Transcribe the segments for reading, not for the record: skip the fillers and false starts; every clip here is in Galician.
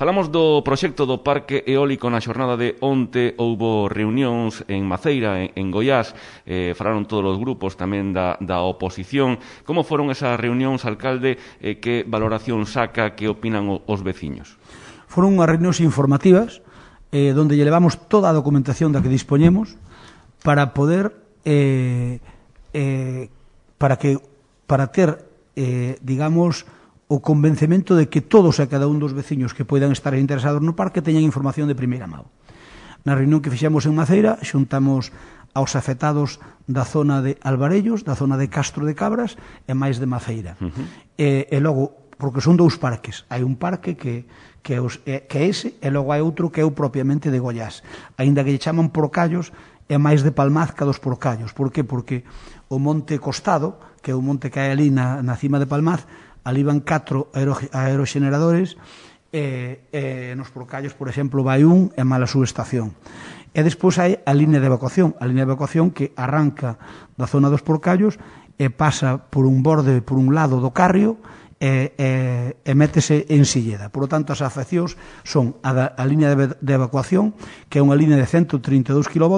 Falamos do proxecto do Parque Eólico na xornada de onte. Houbo reunións en Maceira, en Goiás, falaron todos os grupos tamén da oposición. Como foron esas reunións, alcalde? Que valoración saca, que opinan os veciños? Foron unhas reunións informativas donde lle levamos toda a documentación da que dispoñemos para poder para ter digamos o convencemento de que todos e cada un dos veciños que poidan estar interesados no parque teñan información de primeira mão. Na reunión que fixemos en Maceira xuntamos aos afectados da zona de Alvarellos, da zona de Castro de Cabras e máis de Maceira. E logo, porque son dous parques, hai un parque que é ese e logo hai outro que é o propiamente de Goiás. Aínda que lle chaman Porcallos, é máis de Palmaz que dos Porcallos. Por que? Porque o Monte Costado, que é o monte que hai ali na cima de Palmaz, ali van 4 aeroxeneradores e nos Porcallos, por exemplo, vai un e mala subestación. E despois hai a línea de evacuación que arranca da zona dos Porcallos e pasa por un borde, por un lado do Carrio e métese en Silleda. Por lo tanto, as afeccións son a línea de evacuación, que é unha línea de 132 kV,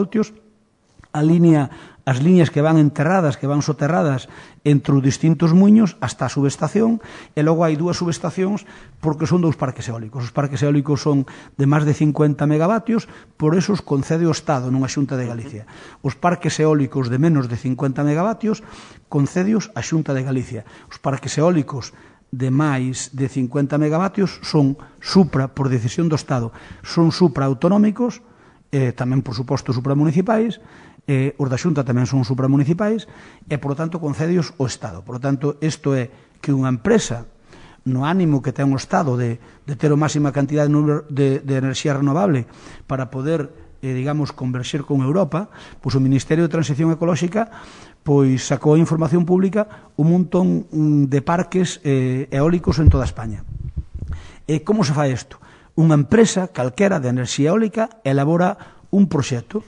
as líneas que van enterradas, que van soterradas entre os distintos muiños hasta a subestación, e logo hai dúas subestacións porque son dous parques eólicos. Os parques eólicos son de máis de 50 megavatios, por eso os concede o Estado nunha Xunta de Galicia. Os parques eólicos de menos de 50 megavatios concedios a Xunta de Galicia. Os parques eólicos de máis de 50 megavatios son supra, por decisión do Estado, son supraautonómicos, tamén, por suposto, supramunicipais, os da Xunta tamén son supramunicipais, e, por lo tanto, concedios o Estado. Por lo tanto, isto é que unha empresa, no ánimo que ten o Estado de ter a máxima cantidad de enerxía renovable para poder, digamos, converxer con Europa, pois o Ministerio de Transición Ecolóxica pois sacou a información pública un montón de parques eólicos en toda España. E como se fai isto? Unha empresa calquera de enerxía eólica elabora un proxecto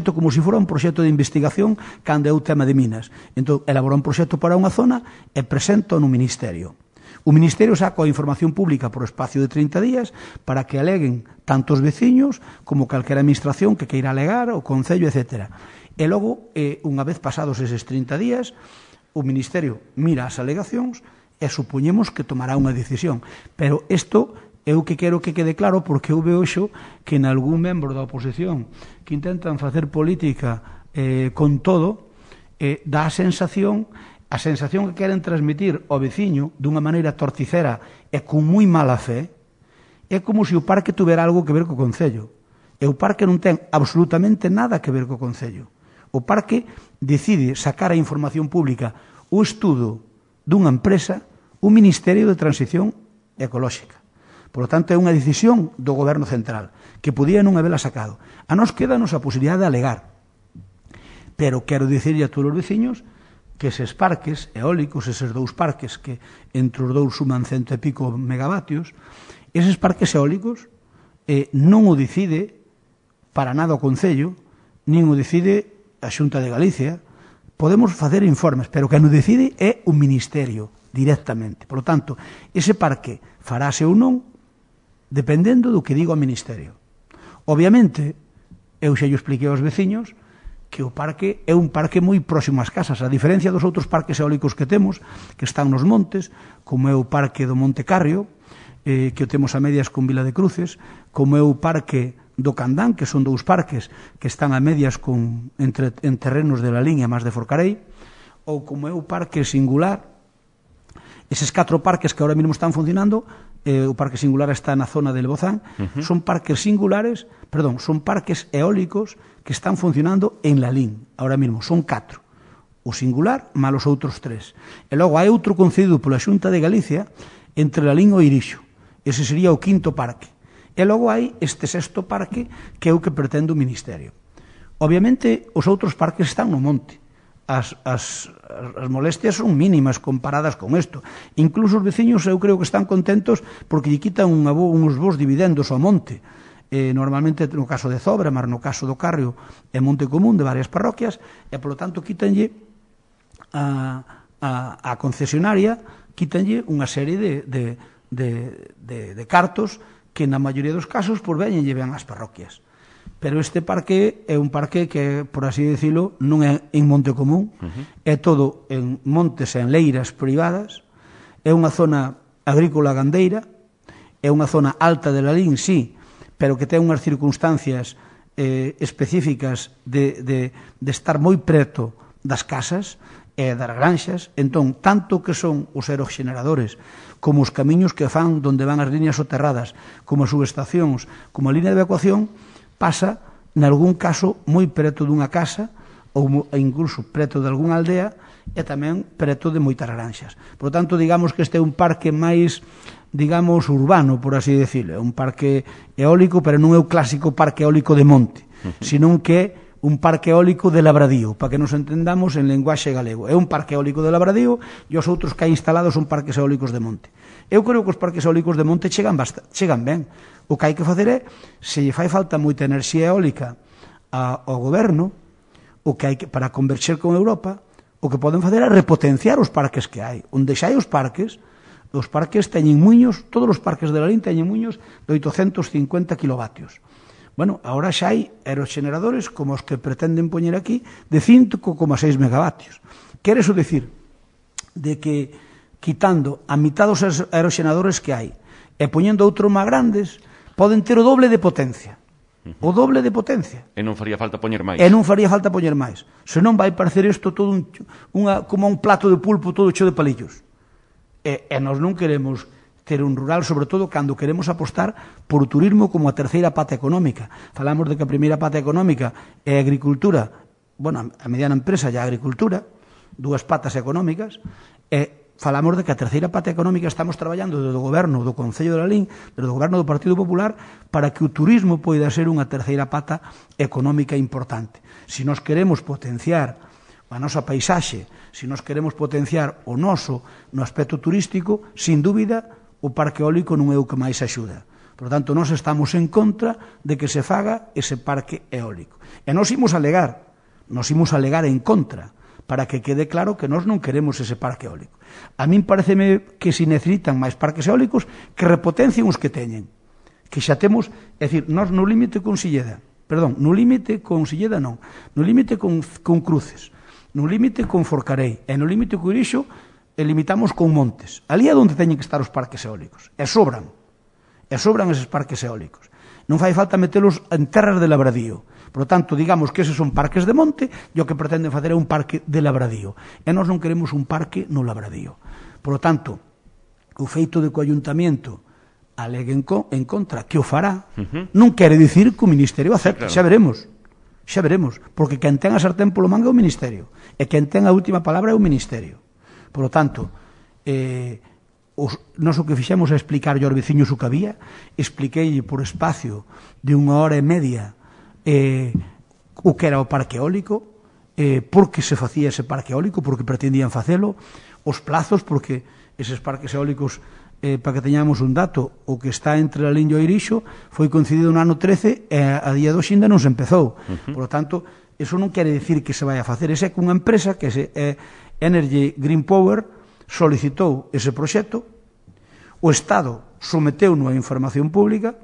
como se fora un proxecto de investigación cando é o tema de minas. Entón, elabora un proxecto para unha zona e presenta no Ministerio. O Ministerio saca a información pública por espacio de 30 días para que aleguen tanto os veciños como calquera administración que queira alegar, o Concello, etc. E logo, unha vez pasados eses 30 días, o Ministerio mira as alegacións e supoñemos que tomará unha decisión. Pero isto eu que quero que quede claro, porque eu vexo que en algún membro da oposición que intentan facer política con todo, dá a sensación que queren transmitir ao veciño dunha maneira torticera e con moi mala fe, é como se o parque tuvera algo que ver co Concello. E o parque non ten absolutamente nada que ver co Concello. O parque decide sacar a información pública o estudo dunha empresa, un Ministerio de Transición Ecolóxica. Por lo tanto, é unha decisión do Goberno Central, que podía non habela sacado. A nos quedanos a posibilidade de alegar. Pero quero dicirlle a todos os veciños que eses parques eólicos, eses dous parques que entre os dous suman 100 e pico megavatios, eses parques eólicos non o decide para nada o Concello, nin o decide a Xunta de Galicia. Podemos facer informes, pero quen o decide é o Ministerio directamente. Por lo tanto, ese parque farase ou non dependendo do que diga o Ministerio. Obviamente, eu xa yo expliquei aos veciños que o parque é un parque moi próximo ás casas, a diferencia dos outros parques eólicos que temos, que están nos montes, como é o parque do Monte Carrio, que o temos a medias con Vila de Cruces, como é o parque do Candán, que son dous parques que están a medias en terrenos de la Liña máis de Forcarei, ou como é o parque Singular. Eses 4 parques que ahora mesmo están funcionando, o parque Singular está na zona de Lebozán, son parques son parques eólicos que están funcionando en Lalín, ahora mesmo, son 4. O Singular, mal os outros 3. E logo hai outro concedido pola Xunta de Galicia entre Lalín e Irixo. Ese sería o 5º parque. E logo hai este 6º parque que é o que pretende o Ministerio. Obviamente, os outros parques están no monte. As molestias son mínimas comparadas con isto. Incluso os veciños eu creo que están contentos porque lle quitan uns bons dividendos ao monte. Normalmente no caso de Zobra, mas no caso do Carrio é monte común de varias parroquias, e polo tanto quítanlle a concesionaria, quítanlle unha serie de cartos que na maioría dos casos por veñen lleven as parroquias. Pero este parque é un parque que, por así decirlo, non é en monte común, é todo en montes e en leiras privadas, é unha zona agrícola gandeira, é unha zona alta de Lalín, sí, pero que ten unhas circunstancias específicas de estar moi preto das casas e das granxas. Entón, tanto que son os aerogeneradores como os camiños que fan donde van as líneas soterradas, como as subestacións, como a línea de evacuación, pasa, nalgún caso, moi preto dunha casa ou incluso preto de algunha aldea e tamén preto de moitas granxas. Por tanto, digamos que este é un parque máis, digamos, urbano, por así decirlo. É un parque eólico, pero non é o clásico parque eólico de monte, senón que é un parque eólico de labradío, para que nos entendamos en lenguaxe galego. É un parque eólico de labradío e os outros que hai instalados son parques eólicos de monte. Eu creo que os parques eólicos de monte chegan ben. O que hai que facer é, se lle fai falta moita enerxía eólica ao goberno, o que hai que, para converxer con Europa, o que poden facer é repotenciar os parques que hai. Onde xa hai os parques teñen muiños, todos os parques de Lalín teñen muiños de 850 kilovatios. Bueno, agora xa hai aerogeneradores como os que pretenden poñer aquí de 5,6 megavatios. Quere iso dicir de que quitando a mitad dos aerogeneradores que hai e poñendo outros máis grandes, poden ter o doble de potencia. O doble de potencia. E non faría falta poñer máis. Senón vai parecer isto todo como un plato de pulpo todo cheo de palillos. E nós non queremos ter un rural, sobre todo cando queremos apostar por o turismo como a terceira pata económica. Falamos de que a primeira pata económica é a agricultura, bueno, a mediana empresa e a agricultura, dúas patas económicas, e falamos de que a terceira pata económica estamos traballando desde o goberno do Concello de Lalín, desde o goberno do Partido Popular, para que o turismo poida ser unha terceira pata económica importante. Se nós queremos potenciar a nosa paisaxe, se nós queremos potenciar o noso no aspecto turístico, sin dúbida, o parque eólico non é o que máis axuda. Por tanto, nós estamos en contra de que se faga ese parque eólico. E nós imos alegar en contra, para que quede claro que nós non queremos ese parque eólico. A min pareceme que se necesitan máis parques eólicos que repotencien os que teñen. Que xa temos, é dicir, nós no límite con Cruces, no límite con Forcarei e no límite con Irixo limitamos con montes. Ali é onde teñen que estar os parques eólicos. E sobran eses parques eólicos. Non fai falta metelos en terras de labradío. Por lo tanto, digamos que eses son parques de monte e o que pretenden facer é un parque de labradío. E nós non queremos un parque no labradío. Por lo tanto, o feito de que o Ayuntamiento alegue en contra, que o fará, non quere dicir que o Ministerio acepte. Xa veremos, porque quen ten a sartén polo mango é o Ministerio, e quen ten a última palabra é o Ministerio. Por lo tanto, nós o que fixemos é explicar aos veciños o que había, expliquei por espacio de 1 hora e media o que era o parque eólico, por que se facía ese parque eólico, porque pretendían facelo, os plazos, porque eses parques eólicos, para que teñamos un dato, o que está entre a Lalín e o Irixo foi concedido no ano 13 e a día de hoxe ainda non se empezou. Por lo tanto, eso non quere dicir que se vai a facer. Esa é que unha empresa, que é Energy Green Power, solicitou ese proxecto, o Estado someteu-no a información pública,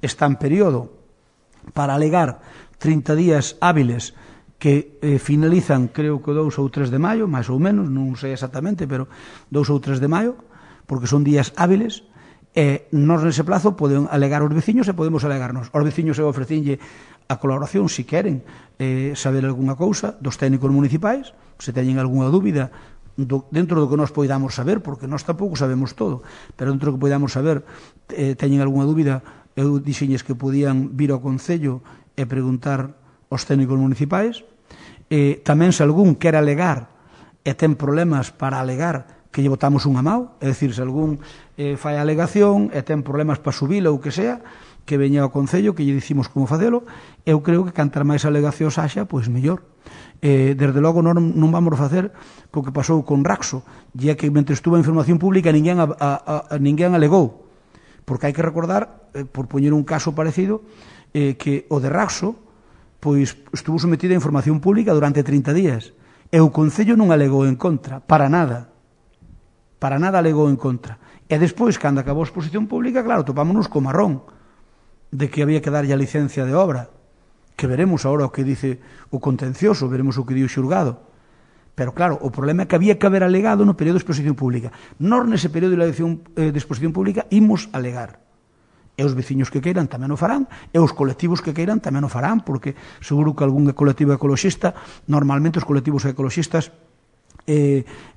está en período para alegar 30 días hábiles que finalizan, creo que 2 ou 3 de maio, máis ou menos, non sei exactamente, pero 2 ou 3 de maio, porque son días hábiles, e nós nese plazo poden alegar os veciños e podemos alegarnos. Os veciños eu ofrecinlle a colaboración, se queren saber algunha cousa dos técnicos municipais, se teñen algunha dúbida dentro do que nós poidamos saber, porque nós tampouco sabemos todo, pero dentro do que poidamos saber, teñen algunha dúbida, eu dixenlles que podían vir ao Concello e preguntar aos técnicos municipais. Tamén se algún quer alegar e ten problemas para alegar, que lle botamos unha mao, é dicir, se algún fai a alegación e ten problemas para subila ou que sea, que veña ao Concello, que lle dicimos como facelo. Eu creo que cantar máis alegacións haxa, pois mellor. Desde logo non vamos facer co que pasou con Raxo, e é que mentre estuvo a información pública ninguén alegou, porque hai que recordar, por poñer un caso parecido, que o de Raxo pois estuvo sometido a información pública durante 30 días e o Concello non alegou en contra, para nada. para nada alegou en contra. E despois, cando acabou a exposición pública, claro, topámonos co marrón de que había que darlle a licencia de obra, que veremos agora o que dice o contencioso, veremos o que di o xulgado. Pero claro, o problema é que había que haber alegado no período de exposición pública. Nós, nese período de exposición pública, imos alegar. E os veciños que queiran tamén o farán, e os colectivos que queiran tamén o farán, porque seguro que algún colectivo ecoloxista, normalmente os colectivos ecoloxistas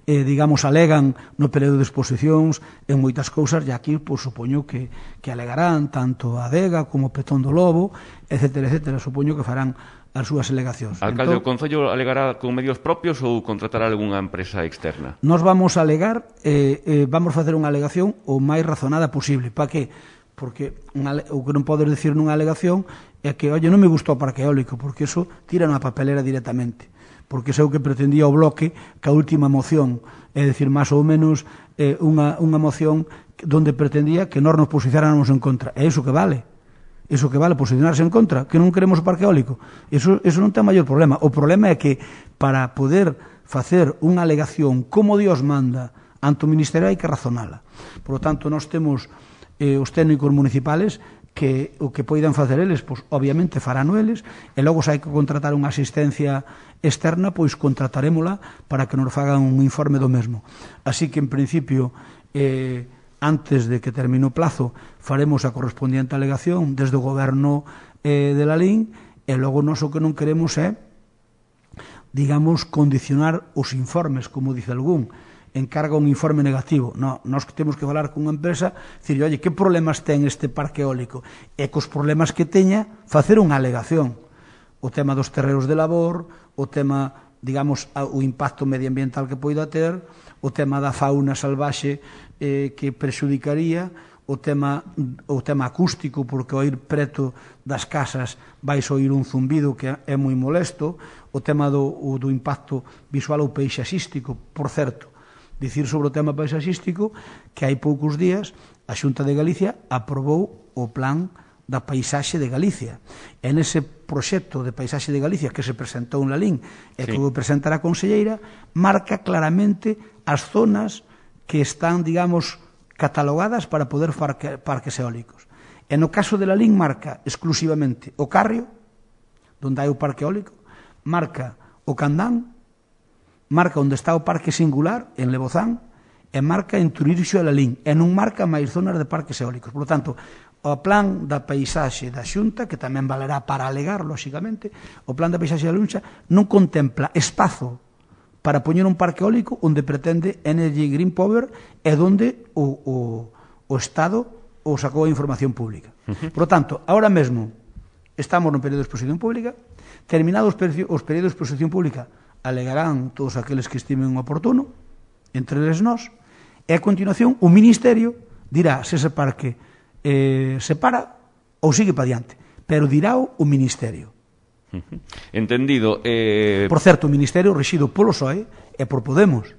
digamos, alegan no período de exposicións en moitas cousas, e aquí, pois, supoño que alegarán tanto a Adega como Petón do Lobo, etcétera, etcétera, supoño que farán as súas alegacións. Alcalde, o Concello alegará con medios propios ou contratará algunha empresa externa? Nós vamos a alegar, vamos facer unha alegación o máis razonada posible. Para que? Porque o que non podes decir nunha alegación é que, oye, non me gustou o parque eólico, porque eso tira na papelera directamente. Porque é o que pretendía o Bloque que a última moción, é dicir, máis ou menos unha moción donde pretendía que nós nos posicionáramos en contra. É iso que vale. Iso que vale, posicionarse en contra, que non queremos o parque eólico. Eso non ten maior problema. O problema é que para poder facer unha alegación como Dios manda ante o Ministerio hai que razonala. Por lo tanto, nós temos os técnicos municipales que o que poidan facer eles, pois obviamente farán eles, e logo se hai que contratar unha asistencia externa, pois contratarémola para que nos fagan un informe do mesmo. Así que, en principio, antes de que termine o plazo, faremos a correspondiente alegación desde o goberno de Lalín, e logo nós o que non queremos é, digamos, condicionar os informes, como dice algún, encarga un informe negativo. No, nós temos que falar con unha empresa, dicir, oye, que problemas ten este parque eólico? E cos problemas que teña, facer unha alegación. O tema dos terreos de labor, o tema, digamos, o impacto medioambiental que poida ter, o tema da fauna salvaxe que prexudicaría, o tema acústico, porque ao ir preto das casas vais oír un zumbido que é moi molesto, o tema do impacto visual ou paisaxístico, por certo. Dicir sobre o tema paisaxístico que hai poucos días a Xunta de Galicia aprobou o plan da paisaxe de Galicia. E nese proxecto de paisaxe de Galicia que se presentou en Lalín e que vou presentar a conselleira, marca claramente as zonas que están, digamos, catalogadas para poder parques eólicos. E no caso de Lalín marca exclusivamente o Carrio, onde hai o parque eólico, marca o Candán, marca onde está o Parque Singular, en Lebozán, e marca en Turixo e Lalín, e non marca máis zonas de parques eólicos. Por lo tanto, o plan da paisaxe da Xunta, que tamén valerá para alegar, lóxicamente, o plan da paisaxe da Xunta non contempla espazo para poñer un parque eólico onde pretende Energy Green Power e onde o Estado o sacou a información pública. Por lo tanto, ahora mesmo estamos no período de exposición pública, terminados os períodos de exposición pública, alegarán todos aqueles que estimen oportuno, entre eles nós, e a continuación o Ministerio dirá se ese parque se para ou sigue para diante, pero dirá o Ministerio. Entendido. Por certo, o Ministerio rexido polo PSOE e por Podemos,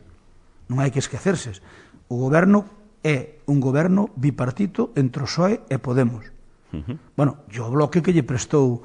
non hai que esquecerse. O goberno é un goberno bipartito entre o PSOE e Podemos. Bueno, o Bloque que lle prestou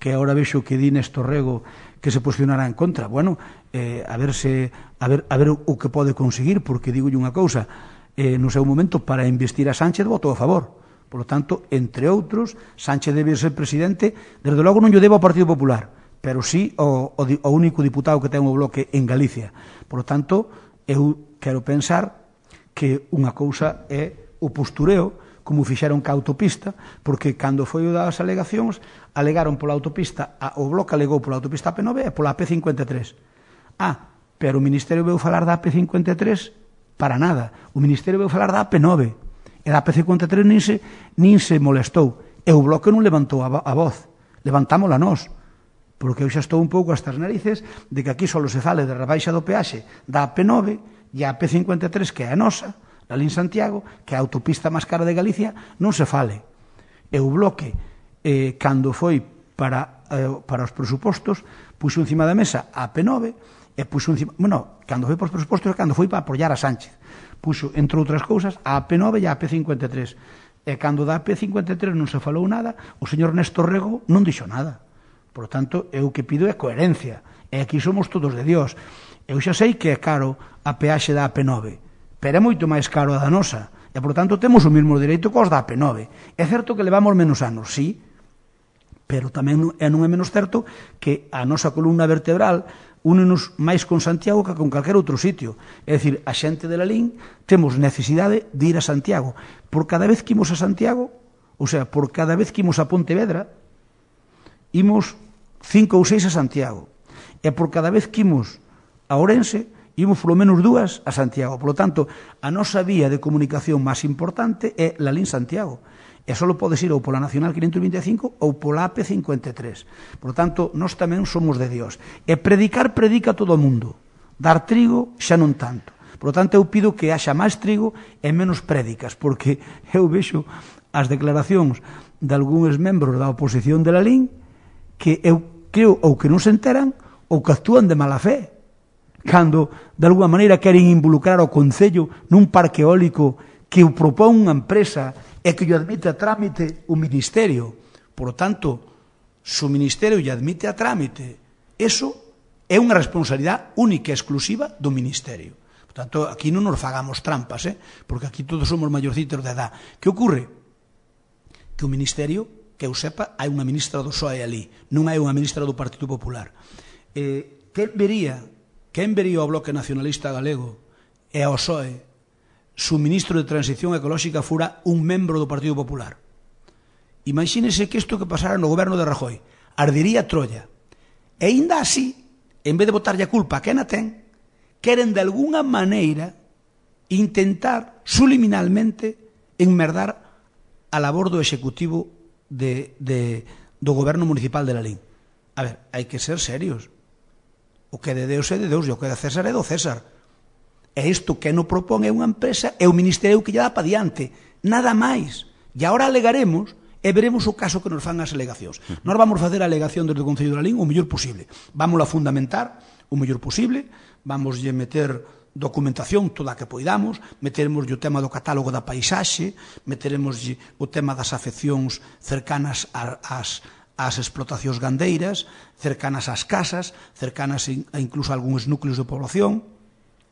que agora vexo que di Néstor Rego que se posicionará en contra. Bueno, a ver o que pode conseguir, porque digo unha cousa, no seu momento para investir a Sánchez votou a favor. Por lo tanto, entre outros, Sánchez debe ser presidente, desde logo non lle debo ao Partido Popular, pero sí ao único diputado que ten o Bloque en Galicia. Por lo tanto, eu quero pensar que unha cousa é o postureo, como fixeron ca autopista, porque cando foi o das alegacións, alegaron pola autopista, o Bloque alegou pola autopista AP9 e pola AP53. Pero o Ministerio veu falar da AP53 para nada. O Ministerio veu falar da AP9. E da AP53 nin se molestou. E o Bloque non levantou a voz. Levantámola nós. Porque eu xa estou un pouco hasta as narices de que aquí só se fale de rebaixa do peaxe da AP9 e a AP53, que é a nosa, Lalín Santiago, que é a autopista máis cara de Galicia, non se fale. E o Bloque, cando foi para os presupostos, puxo encima da mesa a AP9 e puxo encima... Bueno, cando foi para os presupostos é cando foi para apoiar a Sánchez. Puxo, entre outras cousas, a AP9 e a AP53. E cando da AP53 non se falou nada, o señor Néstor Rego non dixo nada. Por tanto, eu que pido é coherencia. E aquí somos todos de Dios. Eu xa sei que é caro a peaxe da AP9, pero é moito máis caro a da nosa. E, por tanto, temos o mesmo dereito que os da AP9. É certo que levamos menos anos, sí, pero tamén non é menos certo que a nosa columna vertebral únenos máis con Santiago que con calquer outro sitio. É dicir, a xente de Lalín temos necesidade de ir a Santiago. Por cada vez que imos a Santiago, ou sea, por cada vez que imos a Pontevedra, imos 5 ou 6 a Santiago. E por cada vez que imos a Ourense, imos polo menos 2 a Santiago. Por lo tanto, a nosa vía de comunicación máis importante é Lalín-Santiago. E só podes ir ou pola Nacional 525 ou pola AP53. Por lo tanto, nós tamén somos de Dios. E predica todo o mundo. Dar trigo xa non tanto. Por lo tanto, eu pido que haxa máis trigo e menos prédicas, porque eu vexo as declaracións de algúns membros da oposición de Lalín que eu creo ou que non se enteran ou que actúan de mala fe, cando de alguma maneira queren involucrar o Concello nun parque eólico que o propón unha empresa e que o admite a trámite o Ministerio. Por lo tanto, se o Ministerio lle admite a trámite, eso é unha responsabilidade única e exclusiva do Ministerio. Por tanto, aquí non nos fagamos trampas, porque aquí todos somos maiorcitos de edad. Que ocorre? Que o Ministerio, que eu sepa, hai unha ministra do PSOE ali, non hai unha ministra do Partido Popular. Quen vería ao Bloque Nacionalista Galego e ao PSOE se o ministro de Transición Ecolóxica fora un membro do Partido Popular? Imagínese que isto que pasara no goberno de Rajoy, ardería Troya. E ainda así, en vez de botarlle a culpa a quen a ten, queren de alguna maneira intentar subliminalmente enmerdar a labor do Executivo do goberno municipal de Lalín. A ver, hai que ser serios. O que é de Deus é de Deus e o que é de César é do César. E isto que non propón é unha empresa, é o Ministerio que lle dá para diante. Nada máis. E agora alegaremos e veremos o caso que nos fan as alegacións. Nós vamos facer a alegación desde o Concello de Lalín o mellor posible. Vamos a fundamentar o mellor posible, vamos lle meter documentación toda a que poidamos, meteremos o tema do catálogo da paisaxe, meteremos o tema das afeccións cercanas ás explotacións gandeiras, cercanas ás casas, cercanas a incluso a algúns núcleos de población.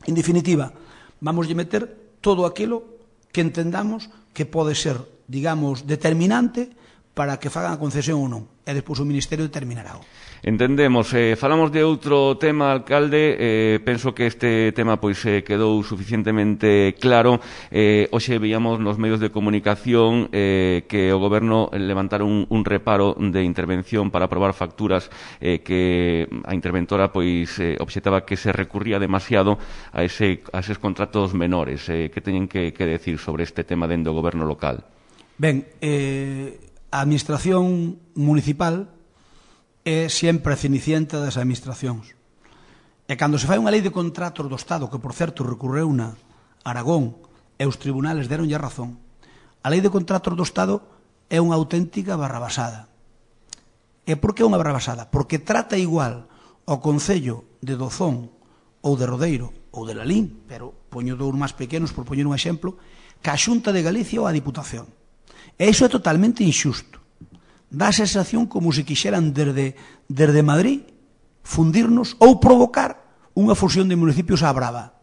En definitiva, vamos a meter todo aquilo que entendamos que pode ser, digamos, determinante para que fagan a concesión ou non. E despois o Ministerio determinará. Entendemos. Falamos de outro tema, alcalde. Penso que este tema pois quedou suficientemente claro. Hoxe veíamos nos medios de comunicación que o Goberno levantaron un reparo de intervención para aprobar facturas que a interventora pois obxectaba que se recurría demasiado a eses contratos menores. Que teñen que decir sobre este tema dentro do Goberno local? Ben, a Administración municipal é sempre a cenicienta das administracións. E cando se fai unha lei de contratos do Estado, que por certo recurreu na Aragón e os tribunales deronlle a razón, a lei de contratos do Estado é unha auténtica barrabasada. E por que é unha barrabasada? Porque trata igual ao Concello de Dozón ou de Rodeiro ou de Lalín, pero poño dous máis pequenos por poñer un exemplo, que a Xunta de Galicia ou a Diputación. E iso é totalmente injusto. Dá a sensación como se quixeran desde Madrid fundirnos ou provocar unha fusión de municipios á brava.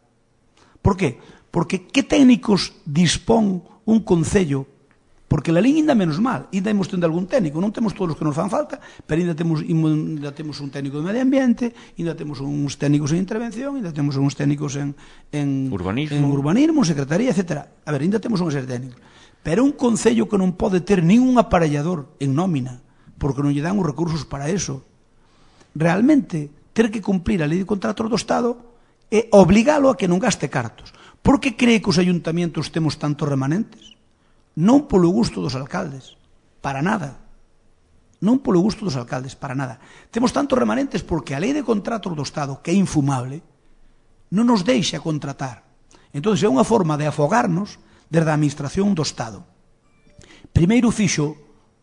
Por qué? Porque que técnicos dispón un concello? Porque Lalín ainda menos mal, ainda imos tendo algún técnico, non temos todos os que nos fan falta, pero ainda temos un técnico de medio ambiente, ainda temos uns técnicos en intervención, ainda temos uns técnicos en urbanismo, secretaría, etc. A ver, ainda temos unha serie de técnicos. Pero un concello que non pode ter ningún aparellador en nómina, porque non lle dan os recursos para eso, realmente ter que cumplir a lei de contratos do Estado é obligalo a que non gaste cartos. Por que cree que os ayuntamientos temos tantos remanentes? Non polo gusto dos alcaldes, para nada. Non polo gusto dos alcaldes, para nada. Temos tantos remanentes porque a lei de contratos do Estado, que é infumable, non nos deixa contratar. Entón, é unha forma de afogarnos desde a Administración do Estado. Primeiro fixo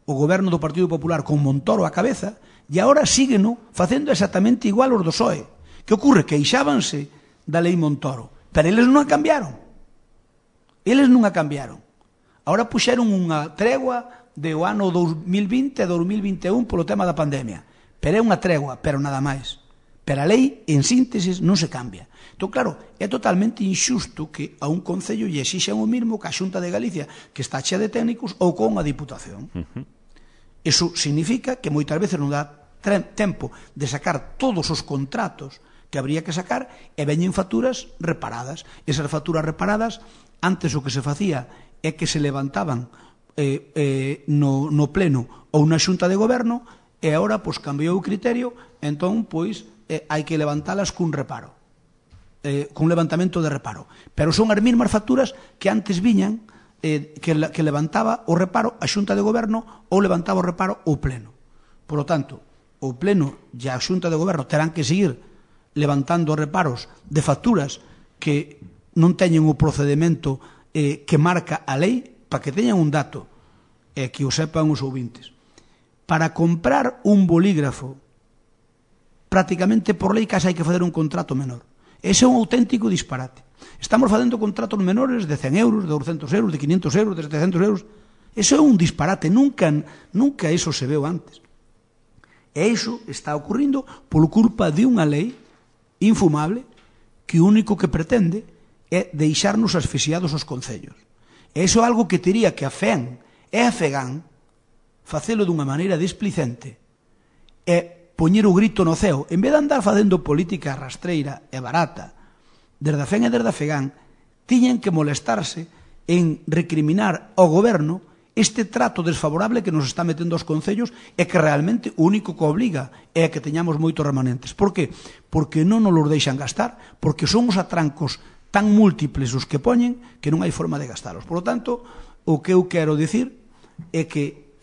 o goberno do Partido Popular con Montoro á cabeza e agora sígueno facendo exactamente igual os do PSOE. Que ocorre? Queixábanse da lei Montoro, pero eles non a cambiaron. Eles non a cambiaron. Agora puxeron unha tregua do ano 2020 e 2021 polo tema da pandemia. Pero é unha tregua, pero nada máis. Pero a lei, en síntesis, non se cambia. Entón, claro, é totalmente injusto que a un concello lle exixan o mismo que a Xunta de Galicia, que está chea de técnicos, ou con a Diputación. Iso significa que moitas veces non dá tempo de sacar todos os contratos que habría que sacar e veñen facturas reparadas. Esas facturas reparadas, antes o que se facía é que se levantaban no pleno ou na xunta de goberno e agora pois cambiou o criterio, entón pois hai que levantalas cun reparo, cun levantamento de reparo, pero son as mesmas facturas que antes viñan que levantaba o reparo a xunta de goberno ou levantaba o reparo o pleno. Por lo tanto, o pleno e a xunta de goberno terán que seguir levantando reparos de facturas que non teñen o procedimento que marca a lei, para que teñan un dato e que o sepan os ouvintes. Para comprar un bolígrafo, prácticamente por lei case hai que fazer un contrato menor. Ese é un auténtico disparate. Estamos facendo contratos menores de 100 euros, de 200 euros, de 500 euros, de 700 euros. Eso é un disparate, nunca eso se veu antes. E iso está ocurrindo por culpa de unha lei infumable que o único que pretende é deixarnos asfixiados os concellos. E iso é algo que tería que a FEAN e a FEGAN facelo dunha maneira displicente e poñer o grito no ceo, en vez de andar facendo política rastreira e barata, desde a FEAN e desde a FEGAN tiñen que molestarse en recriminar ao goberno este trato desfavorable que nos está metendo aos concellos e que realmente o único que obliga é que teñamos moitos remanentes. Por que? Porque non nos los deixan gastar, porque son os atrancos tan múltiples os que poñen que non hai forma de gastalos. Por lo tanto, o que eu quero dicir é que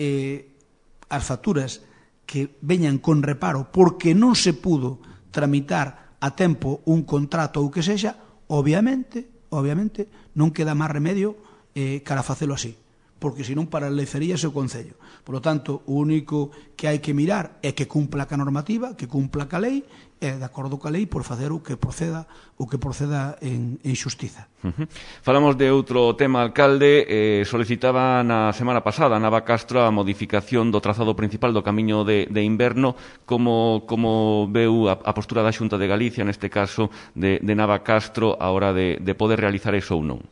as facturas que veñan con reparo porque non se pudo tramitar a tempo un contrato ou que sexa, obviamente, non queda máis remedio cara a facelo así, porque senón paralizaríase o Concello. Por lo tanto, o único que hai que mirar é que cumpla ca normativa, que cumpla ca lei, e de acordo ca lei por facer o que proceda en xustiza. Falamos de outro tema, alcalde. Solicitaba na semana pasada Nava Castro a modificación do trazado principal do camiño de inverno. Como veu a postura da Xunta de Galicia, neste caso de Nava Castro, a hora de poder realizar eso ou non?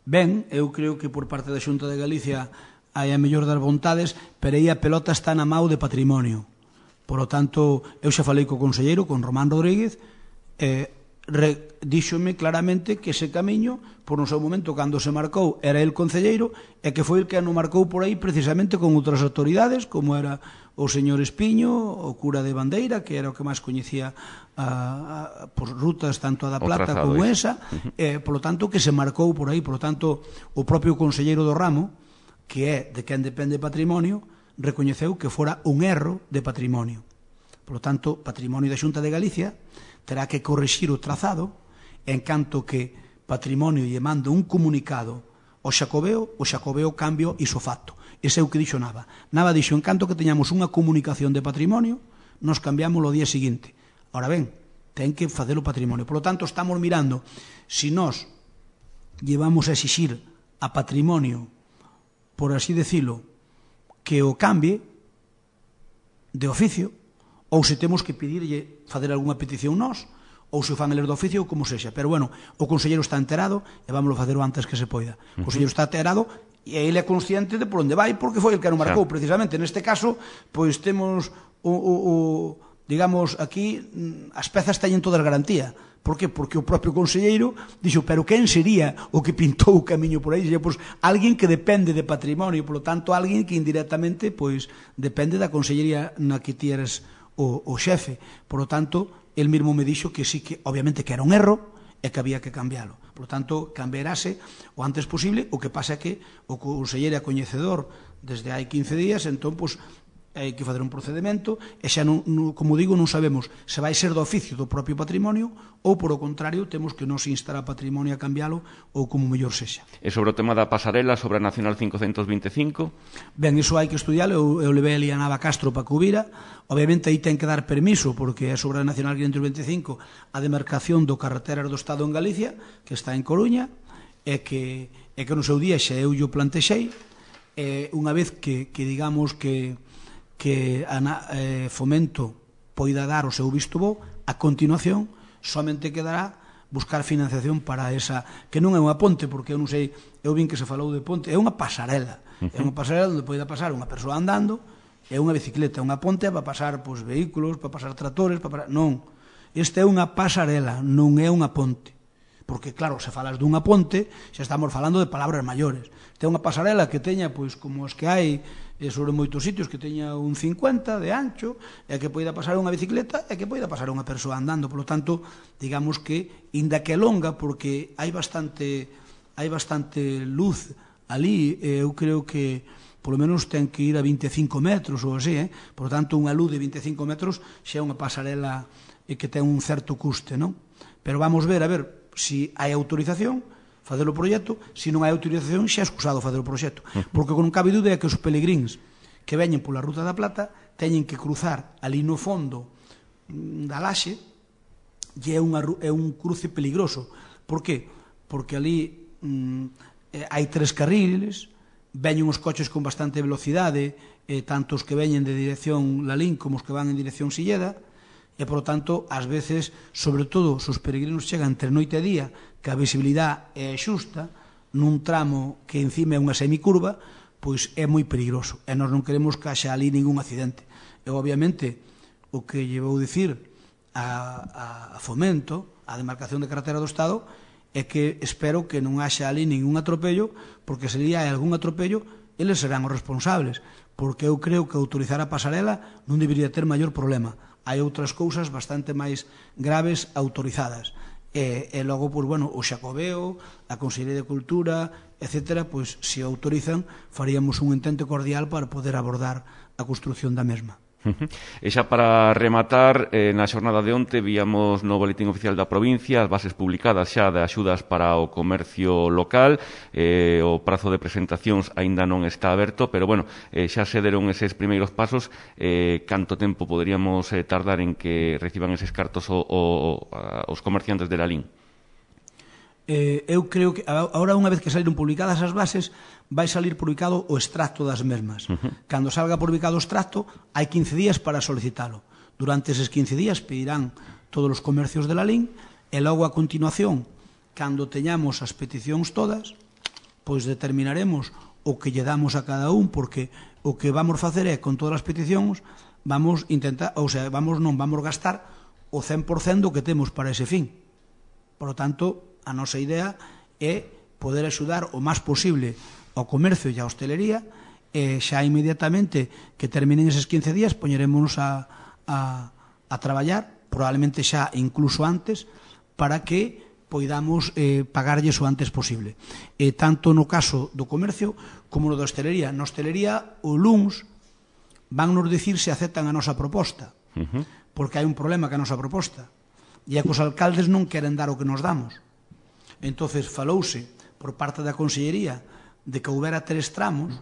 Ben, eu creo que por parte da Xunta de Galicia hai a mellor das vontades, pero aí a pelota está na mau de Patrimonio. Por lo tanto, eu xa falei co conselleiro, con Román Rodríguez, díxome claramente que ese camiño, por no seu momento, cando se marcou, era el concelleiro, e que foi el que non marcou por aí precisamente con outras autoridades, como era o señor Espiño, o cura de Bandeira, que era o que máis coñecía por rutas tanto a da Plata como esa, por lo tanto, que se marcou por aí. Por lo tanto, o propio conselleiro do ramo, que é de quen depende Patrimonio, recoñeceu que fora un erro de Patrimonio. Por lo tanto, Patrimonio da Xunta de Galicia terá que corrixir o trazado, en canto que Patrimonio lle manda un comunicado ao Xacobeo, o Xacobeo cambio isofacto. Ese é o que dixo Nava. Nava dixo, en canto que teñamos unha comunicación de Patrimonio, nos cambiamos o día seguinte. Ahora ben, ten que facer o Patrimonio. Por lo tanto, estamos mirando si nós llevamos a exixir a Patrimonio, por así decirlo, que o cambie de oficio, ou se temos que pedirlle facer algunha petición nós, ou se o fan eles do oficio, ou como sexa. Pero, bueno, o conselleiro está enterado, e vámoslo facer o antes que se poida. O conselleiro está enterado, e ele é consciente de por onde vai, porque foi el que non marcou, precisamente. Neste caso, pois temos digamos, aquí, as pezas teñen todas garantía. Por que? Porque o propio conselleiro dixo, pero quen sería o que pintou o camiño por aí? Sería, pois, alguén que depende de Patrimonio, por lo tanto, alguén que indirectamente, pois, depende da consellería na que ti eres o xefe. Por lo tanto, el mesmo me dixo que sí, que obviamente que era un erro e que había que cambialo. Por lo tanto, cambiarase o antes posible. O que pasa é que o conselleiro é coñecedor desde hai 15 días, entón, pois, hai que fazer un procedimento e xa, como digo, non sabemos se vai ser do oficio do propio Patrimonio ou, por o contrario, temos que nos instar a Patrimonio a cambiálo ou como mellor sexa. E sobre o tema da pasarela sobre a Nacional 525? Ben, iso hai que estudialo. Eu levei ali a Nava Castro para que o vira. Obviamente, aí ten que dar permiso, porque é sobre a Nacional 525 a demarcación do carreteras do Estado en Galicia, que está en Coruña, e que no seu día xa eu o plantexei, unha vez que digamos que Fomento poida dar o seu visto bo, A continuación, somente quedará buscar financiación para esa, que non é unha ponte, porque eu non sei, eu vin que se falou de ponte, é unha pasarela. É unha pasarela onde poida pasar unha persoa andando e unha bicicleta. Unha ponte é para pasar vehículos, para pasar tractores, non. Esta é unha pasarela, non é unha ponte. Porque, claro, se falas dunha ponte, xa estamos falando de palabras maiores. Esta é unha pasarela que teña, como as que hai sobre moitos sitios, que teña un 50 de ancho, e que poida pasar unha bicicleta e que poida pasar unha persoa andando. Por lo tanto, digamos que, inda que é longa, porque hai bastante luz ali, eu creo que polo menos ten que ir a 25 metros ou así, por lo tanto, unha luz de 25 metros xa é unha pasarela que ten un certo custe, non? Pero vamos ver, a ver, se hai autorización, facer o proxecto, se non hai autorización, xa é excusado facer o proxecto. Porque non cabe dúbida é que os pelegríns que veñen pola Ruta da Plata teñen que cruzar ali no fondo da laxe e é un cruce peligroso. Por qué? Porque ali hai 3 carriles, veñen os coches con bastante velocidade, tanto os que veñen de dirección Lalín como os que van en dirección Silleda, e, por tanto, ás veces, sobre todo, se os peregrinos chegan entre noite e día, que a visibilidade é xusta, nun tramo que encima é unha semicurva, pois é moi peligroso, e nós non queremos que haxa ali ningún accidente. E, obviamente, o que lle vou dicir a Fomento, a demarcación de carretera do Estado, é que espero que non haxa ali ningún atropello, porque se ali hai algún atropello, eles serán os responsables, porque eu creo que autorizar a pasarela non debería ter maior problema. Hai outras cousas bastante máis graves autorizadas. E logo, pois, bueno, o Xacobeo, a Consellería de Cultura, etcétera, pois, se autorizan, faríamos un intento cordial para poder abordar a construción da mesma. E xa para rematar, na xornada de onte víamos no Boletín Oficial da Provincia as bases publicadas xa de axudas para o comercio local. O prazo de presentacións aínda non está aberto, pero, bueno, xa se deron eses primeiros pasos. Canto tempo poderíamos tardar en que reciban eses cartos os comerciantes de Lalín? Eu creo que agora, unha vez que saliron publicadas as bases, vai salir publicado o extracto das mesmas. Cando salga publicado o extracto, hai 15 días para solicitalo. Durante eses 15 días pedirán todos os comercios de Lalín, e logo a continuación, cando teñamos as peticións todas, pois determinaremos o que lle damos a cada un, porque o que vamos facer é, con todas as peticións, vamos intentar, ou sea, vamos gastar o 100% do que temos para ese fin. Por lo tanto, a nosa idea é poder axudar o máis posible ao comercio e á hostelería, e xa inmediatamente que terminen eses 15 días poñerémonos a traballar, probablemente xa incluso antes, para que poidamos pagarlles o antes posible. Tanto no caso do comercio como no da hostelería. Na hostelería, o luns van nos dicir se aceptan a nosa proposta, porque hai un problema ca nosa proposta, e é que os alcaldes non queren dar o que nos damos. Entonces falouse por parte da Consellería de que houbera 3 tramos,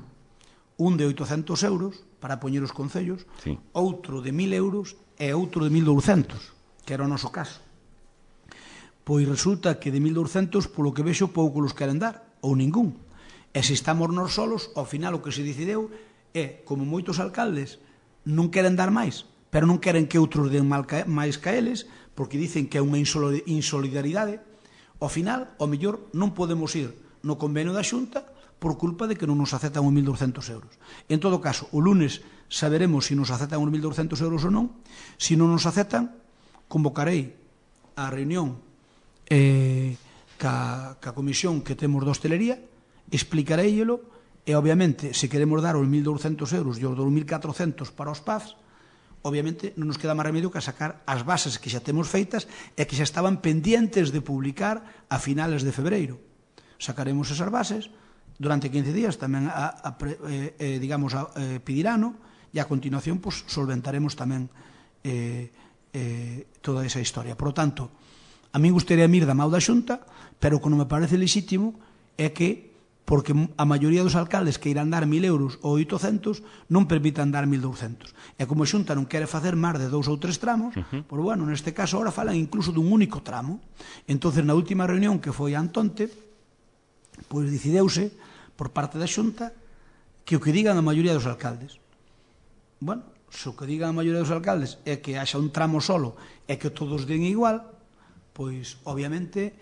un de 800 euros para poñer os concellos, sí, outro de 1.000 euros e outro de 1.200, que era o noso caso. Pois resulta que de 1.200, polo que vexo, pouco los queren dar, ou ningún. E se estamos nós solos, ao final o que se decideu é, como moitos alcaldes non queren dar máis, pero non queren que outros den máis que eles, porque dicen que é unha insolidaridade, ao final, ao mellor, non podemos ir no convenio da Xunta por culpa de que non nos aceptan os 1.200 euros. En todo caso, o lunes saberemos se nos aceptan os 1.200 euros ou non. Se non nos aceptan, convocarei a reunión ca comisión que temos de hostelería, explicareillelo, e, obviamente, se queremos dar os 1.200 euros e os 2.400 para os PAFs, obviamente non nos queda máis remedio que sacar as bases que xa temos feitas e que xa estaban pendientes de publicar a finales de febreiro. Sacaremos esas bases durante 15 días, tamén pedirano, e a continuación solventaremos tamén toda esa historia. Por lo tanto, a mí gustaría ir da mão da Xunta, pero o que non me parece legítimo é que, porque a maioría dos alcaldes que irán dar 1.000 euros ou 800 non permitan dar 1.200. E como a Xunta non quere facer máis de 2 ou 3 tramos, pois, bueno, neste caso ahora falan incluso dun único tramo. Entonces, na última reunión que foi a Antonte, pois decideuse por parte da Xunta que o que digan a maioría dos alcaldes. Bueno, Se o que digan a maioría dos alcaldes é que haxa un tramo solo e que todos den igual, pois, obviamente,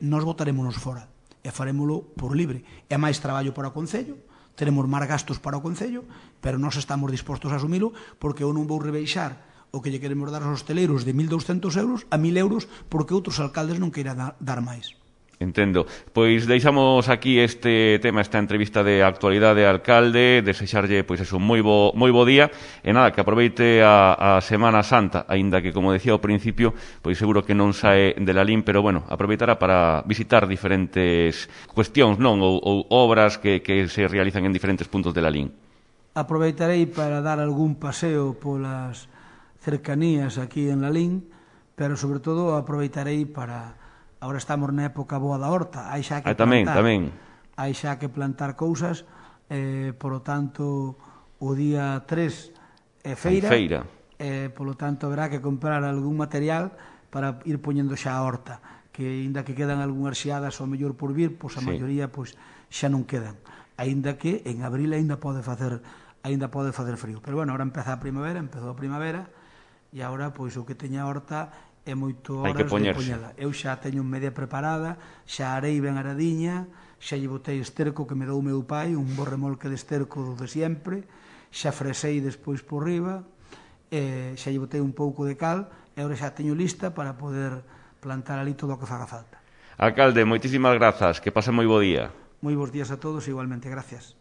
nós votarémonos fora e farémolo por libre. É máis traballo para o Concello, teremos máis gastos para o Concello, pero nós estamos dispostos a asumilo porque eu non vou rebeixar o que lle queremos dar aos hosteleiros de 1.200 euros a 1.000 euros porque outros alcaldes non queiran dar máis. Entendo. Pois deixamos aquí este tema, esta entrevista de actualidade, alcalde, desexarlle pois eso, moi bo día e nada, que aproveite a Semana Santa, aínda que como decía ao principio, pois seguro que non sae de la LIN, pero bueno, aproveitará para visitar diferentes cuestións, non, ou obras que se realizan en diferentes puntos de la LIN. Aproveitarei para dar algún paseo polas cercanías aquí en la LIN, pero sobre todo aproveitarei para... Agora estamos na época boa da horta, hai xa que plantar, hai xa que plantar cousas, polo tanto, o día 3 é feira, polo tanto, haberá que comprar algún material para ir poñendo xa a horta, que aínda que quedan algunhas xeadas ao mellor por vir, pois a maioría pois xa non quedan, aínda que en abril aínda pode facer frío, pero bueno, agora empezou a primavera, e agora pois o que teña a horta é moito horas de poñela. Eu xa teño media preparada, xa arei ben aradiña, xa lle botei esterco que me dou o meu pai, un bo remolque de esterco de sempre, xa fresei despois por riba, xa lle botei un pouco de cal, e agora xa teño lista para poder plantar ali todo o que faga falta. Alcalde, moitísimas grazas, que pase moi bo día. Moi bons días a todos, igualmente, gracias.